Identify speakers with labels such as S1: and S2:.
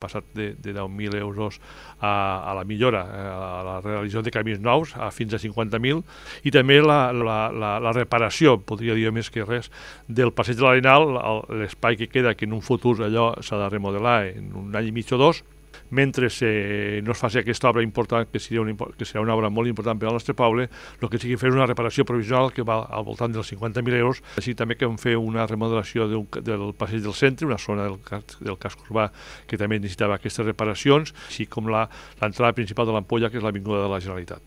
S1: passat de 10.000 euros a la millora, a la realització de camins nous, fins a 50.000, i també la reparació, podria dir més que res, del passeig de l'Arenal, l'espai que queda, que en un futur allò s'ha de remodelar en un any i mig o dos, mentre no es faci aquesta obra important, que serà una obra molt important per al nostre poble, el que sigui fer una reparació provisional que va al voltant dels 50.000 euros, així també que hem fet una remodelació del passeig del centre, una zona del casc urbà que també necessitava aquestes reparacions, així com l'entrada principal de l'Ampolla, que és l'Avinguda de la Generalitat.